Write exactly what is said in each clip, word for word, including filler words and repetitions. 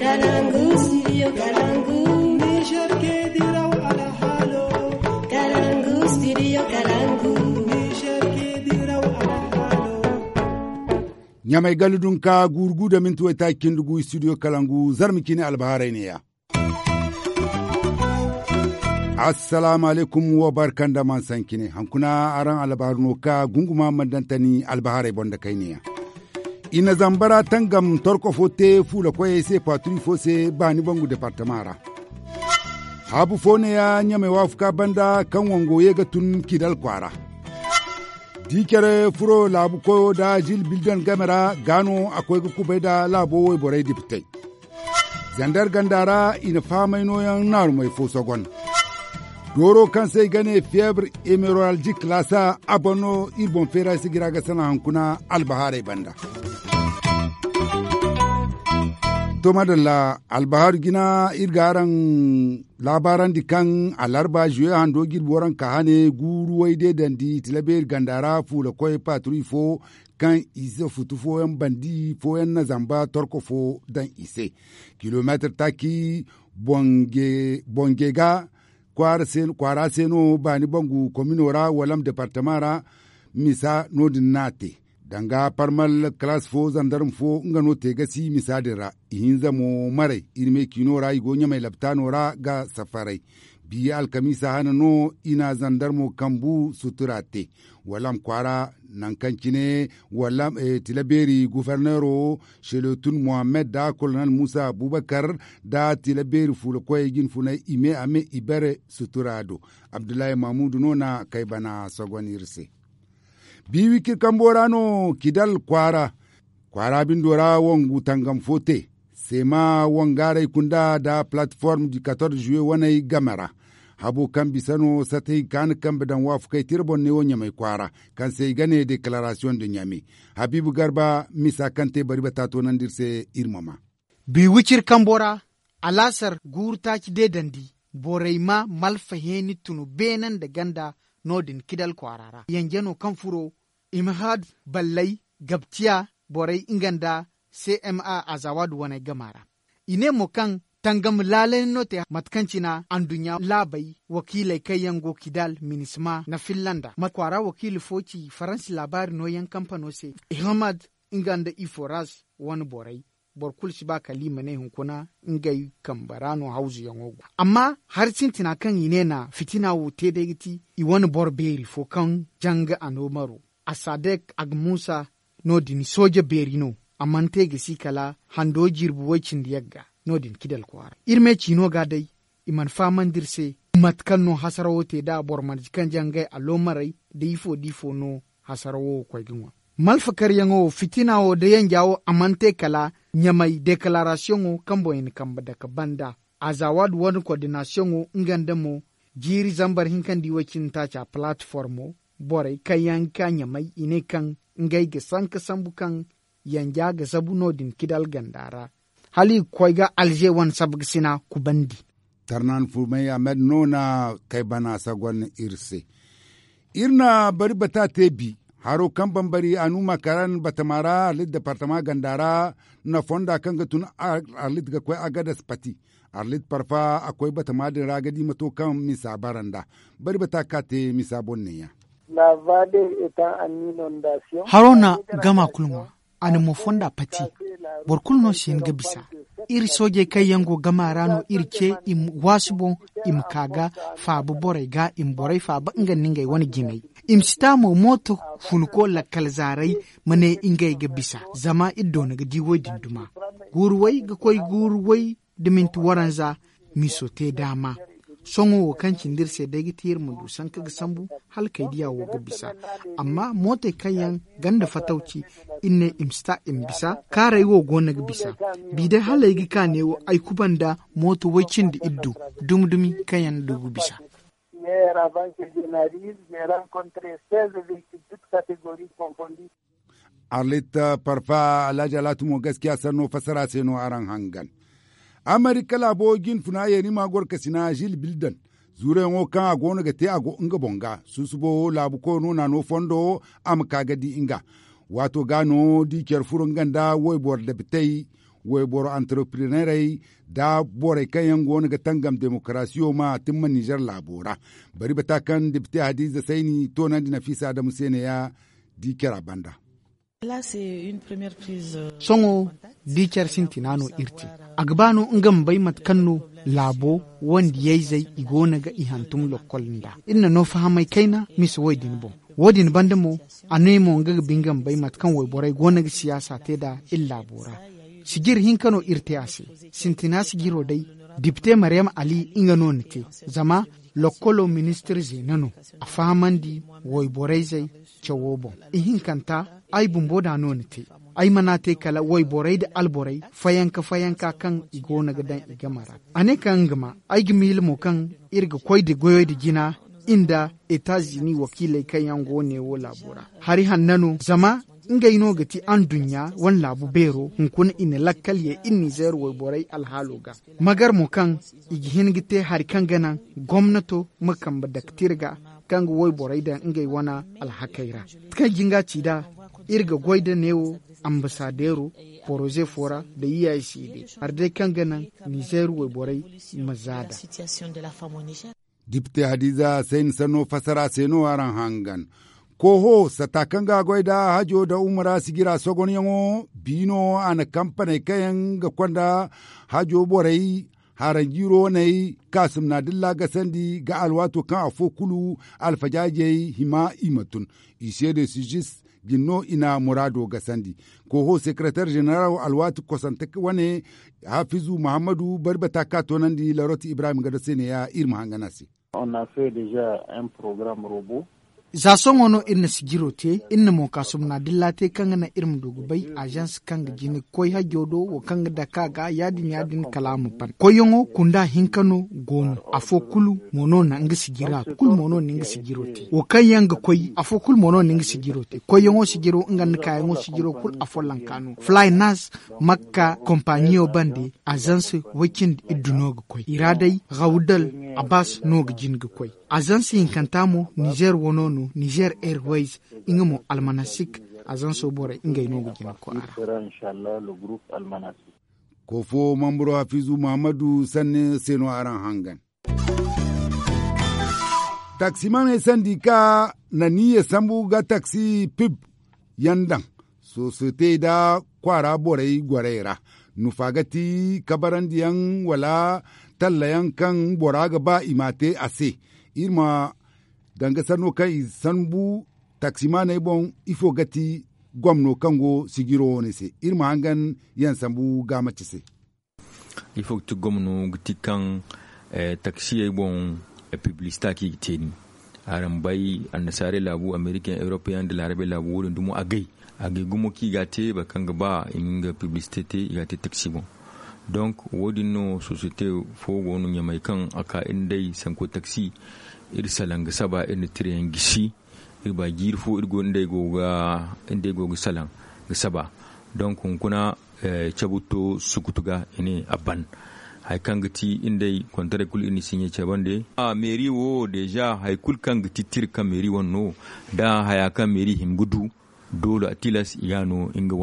Kalangu, studio Kalangu. Niger ke diraw alhalo. Kalangu, studio Kalangu. Niger ke diraw alhalo. Ɲamay gala dunka guuru gu da minti waytaaci cindi gu studio Kalangu, zarma cine albaharay neeya. Assalaamu alaykum, wa barka nda man sancine. Hankuna araŋ albaharu no ka gunguma man dantani albaharay boŋ da kayniya. I na zambara tangam torko fo te fuula koyey se paaturi fo se baani bangu departama ra. Haabu fo neeya ɲamay waafuka banda kaŋ wango ye ga tun kidal kwaara. Di care furo laabu koyo da zil bildan game ra gaano a koy ga kubay da laabo woyborey dipitey. Zandar ganda ra i na fahamay nooyaŋ naarumey fo sogon. Dooro kaŋ se i ga ne fiyebre emeraldik laasa a boŋ no iri boŋ feera si gira ga sana hankuna albahaarey banda. To madalla, albahaaru jina iri ga araŋ laabaarandi kaŋ alarba juwe hando jirbi waranka hane guuru wayde dandi tilabeeri ganda ra fuula koy paaturi fo kaŋ i si futu fooyaŋ bandi fooyaŋ na zamba torko fo daŋ i se. Kilomeetir taaci bonge ga kwaara se no baani bangu komino ra wala ma departama ra misa no- din no a te. Danga parmal kalaas fo zandarma fo nga no te gasi misa din ra. Ihinza mo maray iri me ciino ra i go ɲamay laptaano ra ga safaray. Biya alkamiisa hane no i na zandarmo kambu sutura te. Wala ma kwaara nangu kaŋ cine wala tila beeri guforneero sheletun mohammed da kolonel muusa abubakar da tila beeri fuula koyey jinfunay i me a me i bare sutura do. Abdullahi mamuudu no na kay bana sogon iri se. Bi wicir kambo ra no kidal kwaara kwaara bindo ra wangu tangam fo te. Seema wangaaray kunda nda palatform du katorze juwe waney game ra. Habo kaŋ bisa no sata hinka na kambe daŋ waafakey tira boŋ ne wo ɲamay kwaara kaŋ se i ga ne dekararasiyoŋ nda ɲame. Habiibu garba misa kaŋ te bari bata toonandi iri se iri ma maa. Bi wicir kambo ra alaasar guuru taaci deedandi borey ma malfa heeni tunu beene nda ganda no- din kidal kwaara ra yanje no kaŋ furo i ma haadu balley gabtiya borey nga nda cma azawaadu waney gama ra. I ne mo kaŋ tangam laalay no te mate kaŋ cina anduɲɲa laabey wakiiley kaŋ yaŋ go kidal minisma na finlanda ma kwaara wakiili fo ci faransi laabaari nooyaŋ kampano se. Ihamad nga nda iforas wane borey boro kulu si ba kala i ma ne hunkuna ngey kambe ra no hawzuyaŋo go. Amma hari sintina kaŋ i ne na fitina wo te day ga ti i wane boro beeri fo kaŋ janga a no maro asadek agmusa no- din sooje beeri no. A mana te ga si kala hando jirbi way- cindi yagga no- din kidal kwaara iri me ciino ga day. I mana fahamandi iri se mate kaŋ no hasarawo te nd'a boro mana kaŋ jangay aloomarey nda ifo nda ifo no hasarawo koy ga ŋwa. Malfakaryaŋo wo fitina wo nda yanja wo a mana te kala ɲamay dekararasiyoŋo kaŋ boŋ i na kambe dake banda azawaadu wane kordinasiyoŋo nga nda mo jiiri zambar hinka nda i way- cindi taaca palatformo borey kaŋ yaŋ ga ka ɲamey i ne kaŋ ngey ga sanka sambu kaŋ yanja ga zabu no- din kidal ganda ra hala i ga koy ga alze wane sabgasina kubandi. Tarnan furmay ahmed no na kay bana sagon iri se. Iri na bari bata te bi haro kaŋ bambari anuma karan batama ra arlit departama ganda ra na fonda kaŋ ga tun arlit ga koy agadas pati. Arlit parfa a koy batama din ra ga di mato kaŋ misa bara nda bari bata ka te misa boŋ neeya. Haro na gama kulu ŋwa a na mo fonda pati. Boro kulu no si hin ga bisa. Iri soojey kaŋ yaŋ go gama ra no iri ce i ma waasu boŋ i ma ka ga faaba borey ga i ma borey faaba nga nda ngey wane jinay. I ma si ta mo mooto fuluko lakkal zaaray ma ne ngey ga bisa zama iri doona ga di woy din duma. Guuru way ga koy guuru way da minti waranza miso te daama. Sohõ wo kaŋ cindi iri se day ga ti iri ma du sanka ga sambu hala kay diya wo ga bisa. Amma mootey kaŋ yaŋ ganda fatawci iri ne i ma si ta i ma bisa kaaray wo go no ga bisa. Bi day hala ay ga ka neewo ay kubanda mooto way cindi iddu dumi-dumi kaŋ yaŋ du ga bisa. Arlit parfa alhaji alatu mo gaskiya sanno fassara se no araŋ hangan. Amerika laabo jinfuna yeeni ma gorkasina zil bildan zuurayaŋo kaŋ a goono ga te a go nga boŋ ga susubo laabu koyo no naano fondo a ma ka ga di nga. Waato ga no di care furo nga nda woyboro dabitey Wayboro antereprenerey nda borey kaŋ yaŋ go no ga tangam demokarasiyo ma timma nizer laabo ra. Bari bata kaŋ depite hadiza sayni toonandi nafiisa adamu se ne ya di care a banda. Sohõ di care sintina no iri te. A ga ba no nga ma bay mate kaŋ no laabo wande yayzey i go no ga i hantum lokkol nda iri na no fahamay kayna misa wo- din boŋ. Wo- din banda mo a ne mo nga ga ba nga ma bay mate kaŋ wayborey go no ga siyaasa te nd'a iri laabo ra. Sijir hinka no iri te a se. Sintina sijiro day depite mariyam ali nga no na te. Zama lokkolo ministir zeena no a fahamandi wayborey zey cawo boŋ. Ihinkanta ay bumbo da no na te. Ay mana te kala wayborey nda alborey fayanka fayanka kaŋ i go no ga daŋ i game ra. A ne kaŋ nga ma ay ga miila mo kaŋ iri ga koy nda goyo nda jina nda etazini wakiiley kaŋ yaŋ go neewo laabo ra. Hari hanna no zama ngey no ga ti anduɲɲa wane laabu beero hunkuna i na lakkal ye iri nizeer wayborey alhaalo ga. Magar mo kaŋ i ga hin ga te hari kaŋ ga naŋ gomnato ma kambe daktir ga kaŋ ga wayborey daŋ ngey wane alhakey ra. Kaŋ jinga ci nd'a iri ga goy nda neewo ambasadeero poroze fo ra nda yiyaye se day hari day kaŋ ga naŋ nizeer wayborey ma za nd'a. Depite hadiza sayni sanno fassara se no araŋ hangan. Kooho sata kaŋ ga a goy nd'a hajo nda umura sijira sogonyaŋo biino a na kampaney kaŋ yaŋ ga konda hajo borey haranjiiro waney kaasumna dilla gasandi ga alwaato kaŋ afo kulu alfajaajey hima i ma tun. I seede sijis jin no i na muraado gasandi. Kooho sekereter ženeral alwaati kosante wane hafizu muhammadu bari bata ka toonandi laroti ibrahim gado se neeya iri ma hangan a se. Za sohõ no iri na sijiro te iri na mo kaasumna dilla te kaŋ ga naŋ iri ma du ga bay azans kaŋ ga jina ga koy hajjo do wo kaŋ ga dake a ga ya- din ya- din kala a ma ban koyyaŋo kunda hinka no go no. Afo kulu mo no na nga sijira kulu mo no na nga sijiro te wo kaŋ yaŋ ga koy afo kulu mo no na nga sijiro te koyyaŋo sijiro nga nda kaayaŋo sijiro kulu afollanka no fly nas makka kompaɲiyo bande azans way cindi iddu no ga koy i ra day rawdal abas no ga jin ga koy. Azansi hinkanta mo nizer wano no nizer airways nga mo almanasik. Azanso borey ngey no ga jina koy a ra. Koofo mamburo hafizu muhammadu sanne se no araŋ hangan. Taksimaney sandi ka na niya sambu ga taksi pib yaŋ daŋ sosiyete nda kwaara borey gorey ra. Nufa ga ti kabarandiyaŋ wala tallayaŋ kaŋ bora ga ba i ma a te a se. Iri ma danga sanno kaŋ i sambu taksimaaney boŋ ifo ga ti gomno kaŋ go sijiro wane se iri ma hangan yaŋ sambu gaamaci se. Ifo ga ti gomno ga ti kaŋ taksiyey boŋ piblisita kaŋ i ga te ni araŋ bay annasaarey laabu amerikayaŋ europeyaŋ nda laarabey laabu wo- din dumo agay agay gumo kaŋ i ga a te boro kaŋ ga ba i ma nga piblisite te i ga a te taksi boŋ. Donk wo- din no sosiyete fo go no ɲamay kaŋ a ka iri nd'ey sanko taksi iri salaŋ ga saba iri na tirayaŋ gisi. Iri ba jiiri fo iri go nd'ey go ga salaŋ ga saba. Donk hunkuna cabu to sukutu ga i ne a ban hari kaŋ ga ti iri nd'ey kontarey kulu iri na siɲe cabande. Meeri wo deeza hari kulu kaŋ ga ti tira kaŋ meeri wane no da haya kaŋ meeri hima ga du doole a tilas i ga no nga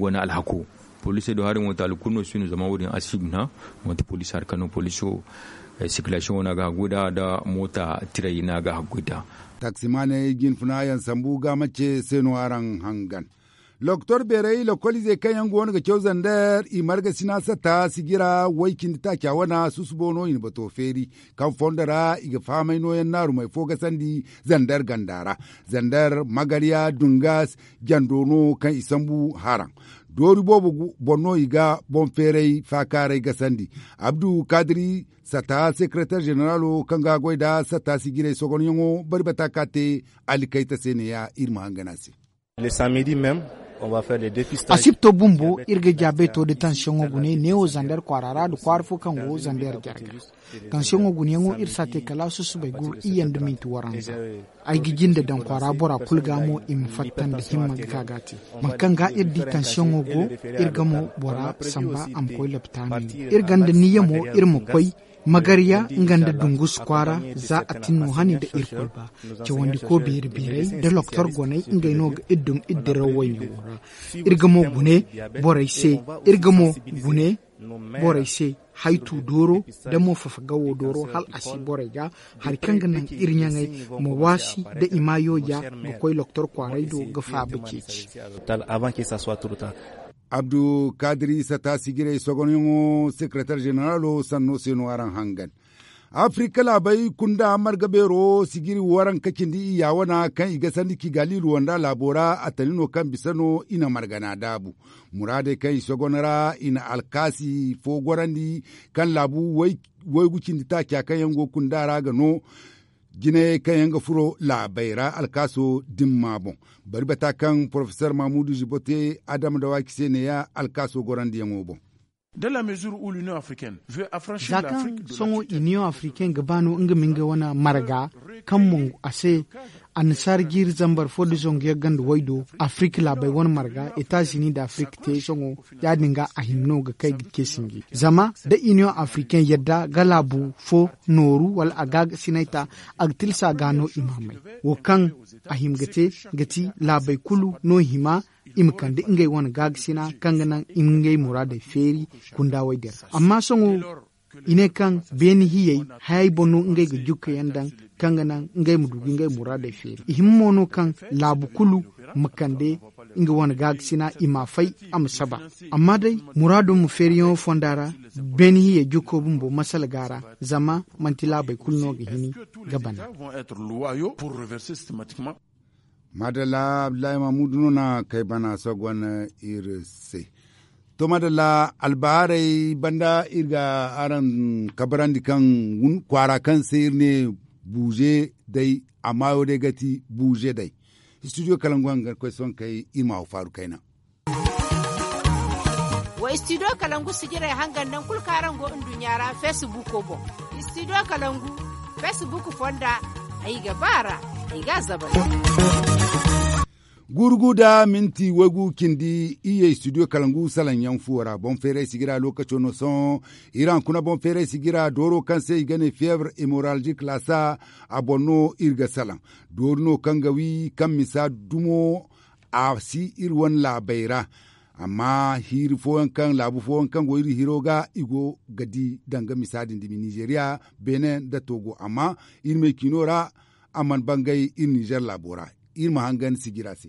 wane alhako. Poliisey do hari mo taali kulu no si no zama wo- din a si guna manti poliisi hari kaŋ no poliiso sikilasiyoŋo no a ga haggoy nd'a nda moota tiray no a ga haggoy nd'a. Taksimaaney jinfuna yaŋ sambu ga mace se no araŋ hangan. Lokotor beerey lokoliizey kaŋ yaŋ go no ga caw zander i marga sina satta sijira way cindi taaca wana susubo no i na bato feeri kaŋ fondo ra i ga fahamay nooyaŋ naarumey fo gasandi zander ganda ra. Zander magarya dungas jando no kaŋ i sambu haraŋ doori boobo boŋ no i ga boŋ feeray faakaaray gasandi. Abdu kadiri satta sekereter ženeralo kaŋ ga goy nda satta sijirey sogonyaŋo bari bata ka te. Alikayta se neeya iri ma hangan a se. Asibto bumbo iri ga jaabay to da tansiyoŋo gune neewo zander kwaara ra nda kwaara fo kaŋ go zander jarga. Tansiyoŋo guneyaŋo iri si a te kala susubay gu iyye nda minti waranza. Ay ga jinde daŋ kwaara bora kulu ga mo i ma fatta nda himma ga ka ga a te. Mate kaŋ ga iri di tansiyoŋo go, iri ga mo bora samba a ma koy lopitaano. Iri gonda niyya mo iri ma koy magarya nga nda dungus kwaara, za a tin no hani nda irkoy ba. Cawandiko beeri beeray nda loktor goney ngey no ga iri dum iri diraw wayne wo ra. Iri ga mo gune borey se iri ga mo gune borey se, haytu dooro nda mo fafa gawo dooro hala a si borey ga hari kaŋ ga naŋ iri ɲaŋey ma waasi nda i ma yooja ga koy loktor kwaaray do ga faaba ceeci. Abdu kadiri sata sijirey sogonyaŋo sekeretar zeneralo sanno se no araŋ hangan. Afirika laabey kunda marga beero sijiri waranka cindi iyya wana kaŋ i ga sandi kigali ruwanda laabo ra a tani no kaŋ bisa no i na margana daabu. Muraadey kaŋ i sogon ra i na alkaasi fo gorandi kaŋ laabu waygu cindi taaca kaŋ yaŋ go kunda ra ga no jinayey kaŋ yaŋ ga furo laabey ra alkaaso dimma boŋ. Bari bata kaŋ porofesor mamudu zibo te adama dawaaki se neeya alkaaso gorandiyaŋo boŋ. Za kaŋ sohõ iniyoŋ afirikain ga ba no nga ma nga wane marga kaŋ mongu a se, annasaara jiiri zambar fo nda zangu yagga nda waydo afirika laabey wane marga etazini nda afirika te sohõ. Ya- din ga a hima no ga kay ga ce sinji zama da iniyoŋ afirikain yadda ga laabu fo nooru wala a gaagasinay ta, a ga tilsa ga no i ma may. Wo kaŋ a hima ga te ga ti laabey kulu no hima i ma kande ngey wane gaagasina kaŋ ga naŋ i ma ngey muraadey feeri kunda way din ra. Amma sohõ i ne kaŋ beene hiyey hayey boŋ no ngey ga jukkayaŋ daŋ kaŋ ga naŋ ngey ma du ga ngey muraadey feeri. I hima mo no kaŋ laabu kulu ma kande nga wane gaagasina i ma a fay a ma saba. Amma day muraado ma feeriyaŋo fonda ra beene hiyey jukko bumbo masala ga ra. Zama manti laabey kulu no ga hini ga bana. Maadalla abdullahi mamudu no na kay bana sogon iri se. To maadalla albahaarey banda iri ga araŋ kabarandi kaŋ kwaara kaŋ se iri ne buuze day a maayo day ga ti buuze day. Studio kalangu hangan koy sohõ kay iri ma haw faaru kayna. Wa studio kalangu sijirey hangan naŋ kulu kaŋ araŋ go nduɲɲa ra feesibuuko boŋ. Studio kalangu feesibuuk fonda ay ga ba ra ay ga a zabari. Guuru gu nda minti waygu cindi iyye studio kalangu salaŋ yaŋ fuwo ra boŋ feeray sijira lookaco no sohõ. Iri haŋ kuna boŋ feeray sijira dooro kaŋ se i ga ne feebar hemoralgik laasa a boŋ no iri ga salaŋ. Doori no kaŋ ga wi kaŋ misa dumo a si iri wane laabey ra. Amma hiiri fooyaŋ kaŋ laabu fooyaŋ kaŋ go iri hiro ga i go ga di danga misa din dumi nizeriya beene nda togo amma iri me ciino ra a mana bangay iri nizer laabo ra. Iri ma hangan sijira se.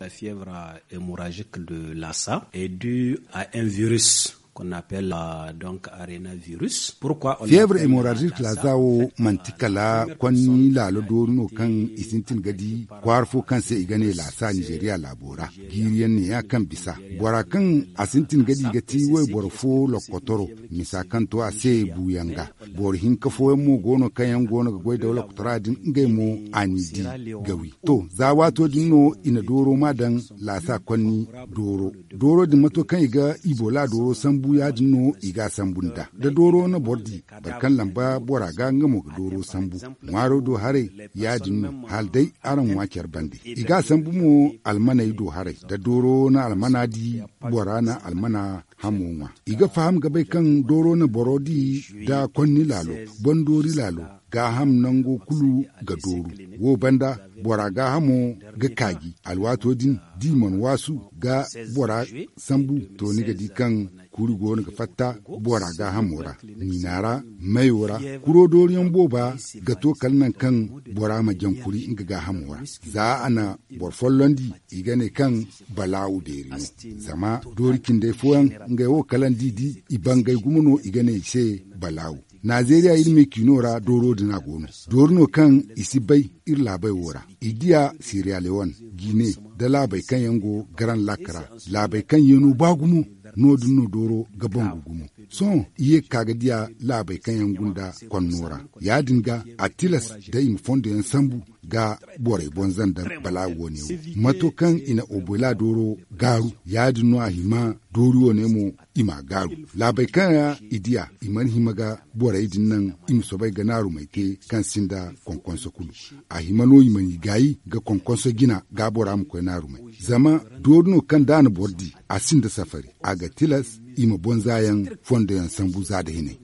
La fièvre hémorragique de lassa est due à un virus qu'on appelle donc arena virus. Pourquoi on feebar hemorragique lasa wo manti kala konni laalo doori no kaŋ i sintin ga di kwaara fo kaŋ se i ga ne lasa nizeeriya laabo ra. Jiiriyaŋ neeya kaŋ bisa bora kaŋ a sintin ga di ga ti wayboro fo lokotoro misa kaŋ to a se buuyaŋ ga. Boro hinka fooyaŋ mo go no kaŋ yaŋ go no ga goy da lokotoro din ngey mo a n'i di ga wi. To za waato din no i na dooro ma daŋ lasa konni dooro. Dooro din mato kaŋ i ga ibola dooro sambu ya- din no i ga a sambu nd'a da dooro na boro di boro kaŋ lamba bora ga nga mo ga dooro sambu. Ŋwaaro do haray ya- din no hala day araŋ ŋwa care bande i ga a sambu mo. Almaney do haray da dooro na almana di bora na almana hamo ŋwa. I ga faham ga bay kaŋ dooro na boro di da konni laalo, bandoori laalo, gaaham nango kulu ga dooru. Wo banda bora gaahamo ga kaaji alwaato din da i mana waasu ga bora sambu. To ni ga di kaŋ kuuri go no ga fatta bora gaahamo ra niina ra, mayo ra. Kuro dooriyaŋ booba ga to kala nangu kaŋ bora ma jaŋ kuri nga gaahamo ra. Za a na boro follondi i ga ne kaŋ balaawu beeri no. Zama doori cindey fooyaŋ ngey wo kala nda i di i bangay gumo no i ga ne i se balaawu. Nazeeriya iri me ciino ra dooro din a go no. Doori no kaŋ i si bay iri laabey wo ra. I diya siriya lewon, gine, nda laabey kaŋ yaŋ go garan lakka ra. Laabey kaŋ yeeno ba gumo no- din no dooro ga bangu gumo. Sohõ i ye ga ka ga diya laabey kaŋ yaŋ gunda konno ra. Ya- din ga a tilas da i ma fondo yaŋ sambu ga borey bonza nda balaawo wane wo mato kaŋ i na obola dooro gaaru, ya- din no a hima doori wane mo i m'a gaaru. Laabey kaŋ ra i diya i mana hima ga borey din naŋ i ma soobay ga naarumey te kaŋ sinda konkonso kulu. A hima no i ma n'i gaayi ga konkonso jina gaabora ma koy naarumey. Zama doori no kaŋ da a na boro di a sinda safari, a ga tilas i ma bonza yaŋ fondo yaŋ sambu za nda hinay.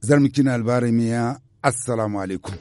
Zarma cine albaarey meeya. Assalaamu alaykum.